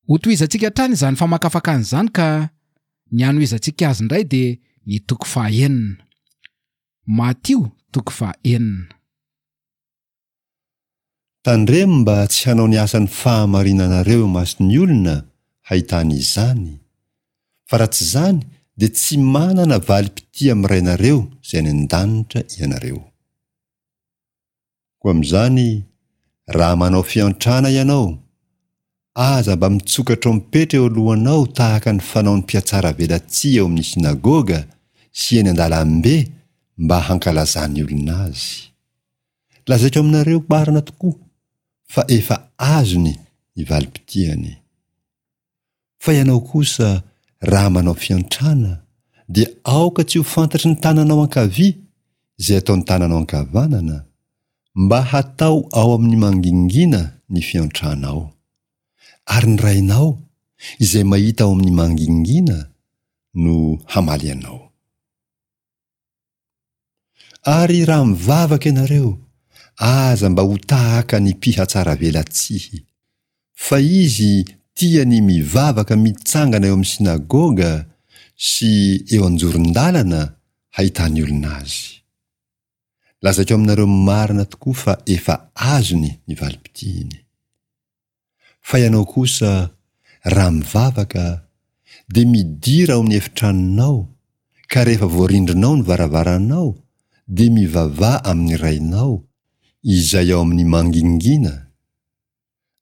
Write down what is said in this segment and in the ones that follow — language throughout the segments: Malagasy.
Hotohizantsika hatrany izany famakafakana izany ka ny hanohizantsika azy indray dia ny toko fahaenina. Matio toko fahaenina. Tandremo mba tsy hanao ny asan'ny fahamarinanareo eo imason'ny olona hahitany izany, fa raha tsy izany dia tsy manana valim-pitia amin'ny Rainareo izay any an-danitra ianareo. Koa amin'izany, raha manao fiantrana ianao, aza mba mitsoka trompetra eo alohanao tahaka ny fanaon'ny mpihatsaravelatsihy eo amin'ny synagoga sy eny an-dalambe mba hankalazan'ny olona azy. Lazaiko aminareo marina tokoa fa efa azony ny valim-pitiany. Fa ianao kosa, raha manao fiantrana, dia aoka tsy ho fantatry ny tananao ankavia izay ataon'ny tananao ankavanana, mba hatao ao amin'ny mangingina ny fiantranao. Ary ny Rainao, izay mahita ao amin'ny mangingina, no hamaly anao. Ary raha mivavaka ianareo, aza mba ho tahaka ny mpihatsaravelatsihy. Fa izy tia ny mivavaka mitsangana eo amin'ny synagoga sy eo an-joron-dalana hahitan'ny olona azy. Lazaiko aminareo marina tokoa fa efa azony ny valim-pitihiny. Fa ianao kosa, raha mivavaka, dia midira ao amin'ny efitranonao, ka rehefa voarindrinao ny varavaranao, dia mivavaha amin'ny Rainao, izay ao amin'ny mangingina,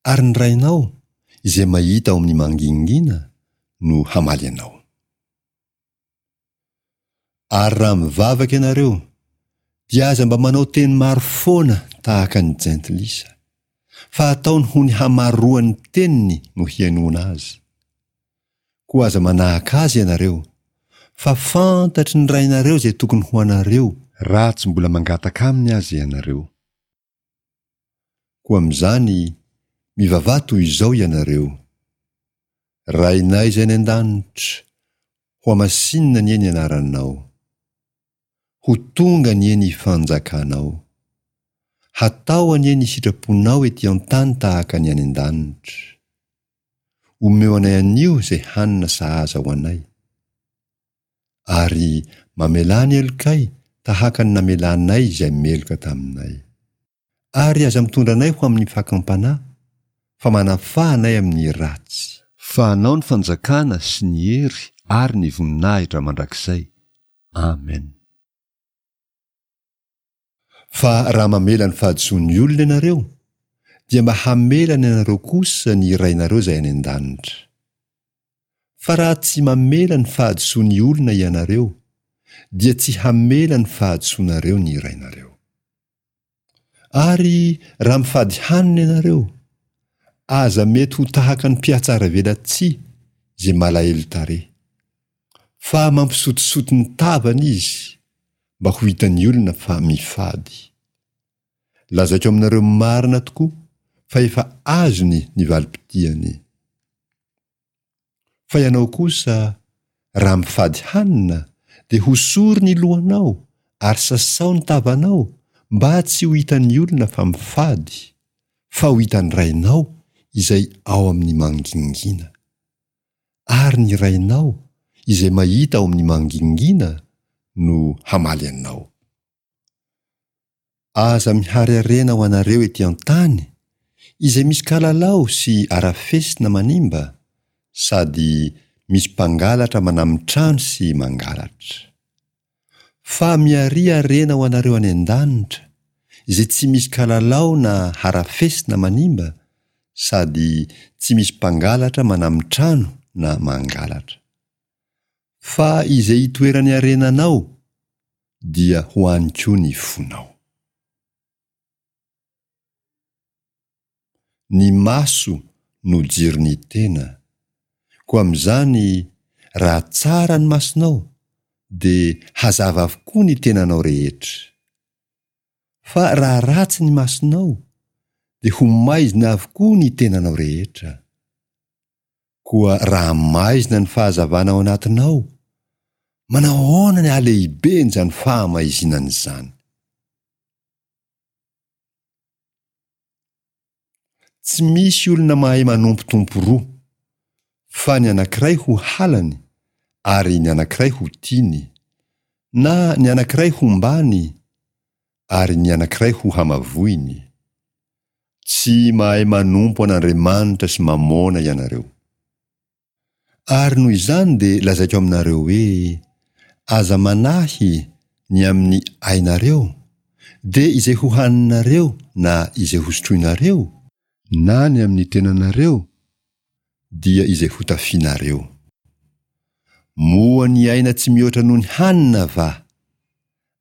ary ny Rainao, izay mahita ao amin'ny mangingina, no hamaly anao. Ary raha mivavaka ianareo, dia aza mba manao teny maro foana tahaka ny jentilisa, fa ataony ho ny hamaroan'ny teniny no hihainoana azy. Koa aza manahaka azy ianareo, fa fantatry ny Rainareo izay tokony ho anareo, raha tsy mbola mangataka aminy aza ianareo. Koa amin'izany, mivavaha toy izao ianareo, Rainay izay any an-danitra, hohamasinina anie ny anaranao. Ho tonga anie ny fanjakanao. Hatao anie ny sitraponao ety an-tany tahaka ny any an-danitra. Omeo anay anio izay hanina sahaza ho anay. Ary mamelà ny helokay tahaka ny namelanay izay meloka taminay. Ary aza mitondra anay ho amin'ny fakam-panahy, fa manafaha anay amin'ny ratsy. Fa Anao ny fanjakana sy ny hery ary ny voninahitra mandrakizay. Amen. Fa raha mamela ny fahadisoan'ny olona ianareo, dia mba hamela ny anareo kosa ny Rainareo izay any an-danitra. Fa raha tsy mamela ny fahadisoan'ny olona ianareo, dia tsy hamela ny fahadisoanareo ny Rainareo. Ary raha mifady hanina ianareo, aza mety ho tahaka ny mpihatsaravelatsihy izay malahelo tarehy. Fa mampisotisoty ny tavany izy mba ho hitan'ny olona fa mifady. Lazaiko aminareo marina tokoa fa efa azony ny valim-pitiany. Fa ianao kosa, raha mifady hanina, dia hosory ny lohanao ary sasao ny tavanao mba tsy ho hitan'ny olona fa mifady, fa ho hitan'ny Rainao izay ao amin'ny mangingina. Ary ny Rainao izay mahita ao amin'ny mangingina no hamaly anao. Aza mihary harena ho anareo ety an-tany, izay misy kalalao sy arafesina manimba, sady misy mpangalatra manamin-trano sy mangalatra. Fa miharia harena ho anareo any an-danitra, izay tsy misy kalalao na harafesina manimba, sady tsy misy mpangalatra manamin-trano na mangalatra. Fa izay itoeran'ny harenanao, dia ho any koa ny fonao. Ny maso no jiron'ny tena, koa amin'izany raha tsara ny masonao dia hazava avokoa ny tenanao rehetra. Fa raha ratsy ny masonao dia ho maizina avokoa ny tenanao rehetra. Koa raha maizina ny fahazavana ao anatinao, manao ahoana ny halehiben'izany fahamaizinana izany? Tsy misy olona mahay manompo tompo roa. Fa ny anankiray ho halany ary ny anankiray ho tiany, na ny anankiray hombany ary ny anankiray ho hamavoiny. Tsy mahay manompo an'Andriamanitra sy Mamôna ianareo. Ary noho izany dia lazaiko aminareo hoe, Aza manahy ny amin'ny ainareo, dia izay hohaninareo na izay hosotroinareo, na ny amin'ny tenanareo, dia izay hotafianareo. Moa ny aina tsy mihoatra noho ny hanina va,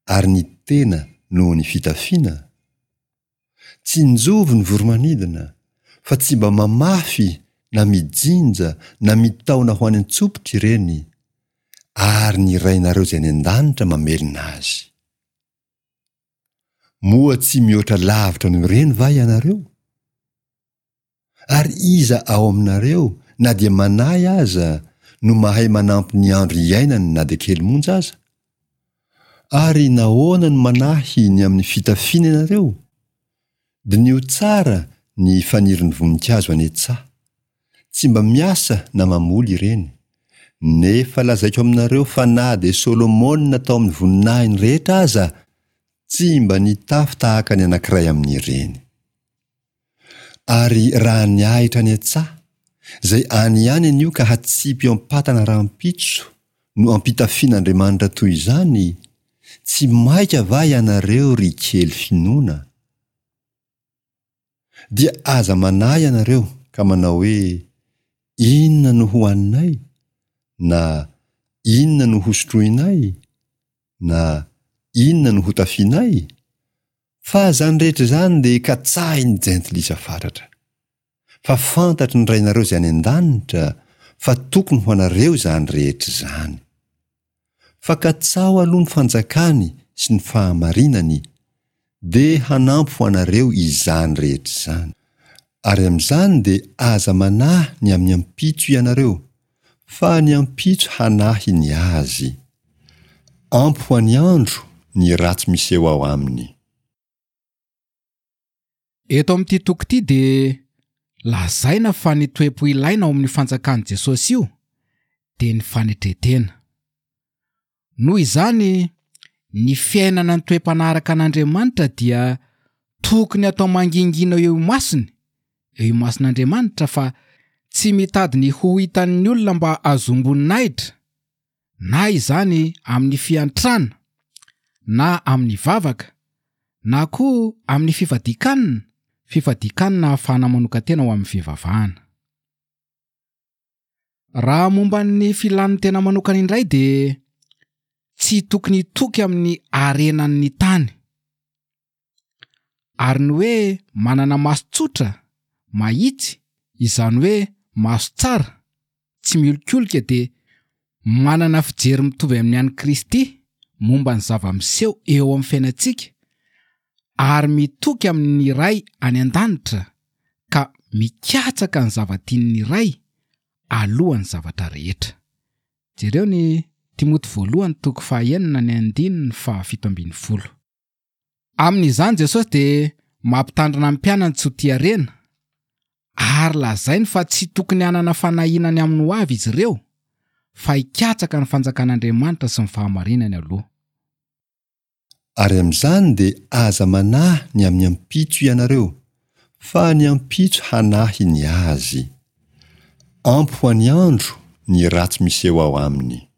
ary ny tena noho ny fitafiana? Tsinjovy ny voromanidina, fa tsy mba mamafy na mijinja na mitaona ho any an-tsopitra ireny, ary ny Rainareo izay any an-danitra mamelona azy. Moa tsy mihoatra lavitra noho ireny va ianareo? Ary iza ao aminareo na dia manahy aza no mahay manampy ny andro iainany na dia kely monja aza? Ary nahoana no manahy ny amin'ny fitafiana ianareo? Diniho tsara ny fanirin'ny voninkazo any an-tsaha. Tsy mba miasa na mamoly ireny. Nefa lazaiko aminareo fa na dia Solomona tao amin'ny voninahiny rehetra aza tsy mba nitafy tahaka ny anankiray amin'ireny. Ary raha ny ahitra any an-tsaha, izay any ihany anio ka hatsipy eo am-patana rahampitso, no ampitafian'Andriamanitra toy izany, tsy maika va ianareo ry kely finoana? Dia aza manahy ianareo ka manao hoe, Inona no hohaninay? Na, Inona no hosotroinay? Na, Inona no hotafianay? Fa izany rehetra izany dia katsahin'ny jentilisa fatratra. Fa fantatry ny Rainareo izay any an-danitra fa tokony ho anareo izany rehetra izany. Fa katsaho aloha ny fanjakany sy ny fahamarinany, dia hanampy ho anareo izany rehetra izany. Ary amin'izany dia aza manahy ny amin'ny ampitso ianareo, fa ny ampitso hanahy ny azy. Ampy ho an'ny andro ny ratsy miseho ao aminy. Eto amin'ity toko ity dia lazaina fa ny toe-po ilaina ao amin'io fanjakan'i Jesosy io dia ny fanetren-tena. Noho izany, ny fiainana ny toe-panahy araka an'Andriamanitra dia tokony atao mangingina eo imasony, eo imason'Andriamanitra fa tsy mitady ny ho hitan'ny olona mba hahazoam-boninahitra, na izany amin'ny fiantrana, na amin'ny vavaka, na koa amin'ny fifadian-kanina, fifadian-kanina ahafahana manokan-tena ho amin'ny fivavahana. Raha momba ny filan'ny tena manokana indray dia tsy tokony hitoky amin'ny harenan'ny tany. Ary ny hoe manana maso tsotra, mahitsy, izany hoe maso tsara, tsy miolikolika dia manana fijery mitovy amin'ny an'i Kristy momba ny zava-miseho eo amin'ny fiainantsika ary mitoky amin'ny Ray any An-danitra ka mikatsaka ny zava-tian'ny Ray alohan'ny zavatra rehetra. Jereo ny Timoty voalohany toko fahaenina ny andininy faha 17. Amin'izany Jesosy dia mampitandrina ny mpianany tsy ho tia harena, ary lazainy fa tsy tokony hanana fanahiana ny amin'ny hoavy izy ireo, fa hikatsaka ny fanjakan'Andriamanitra sy ny fahamarinany aloha. Ary amin'izany dia aza manahy ny amin'ny ampitso ianareo, fa ny ampitso hanahy ny azy. Ampy ho an'ny andro ny ratsy miseho ao aminy.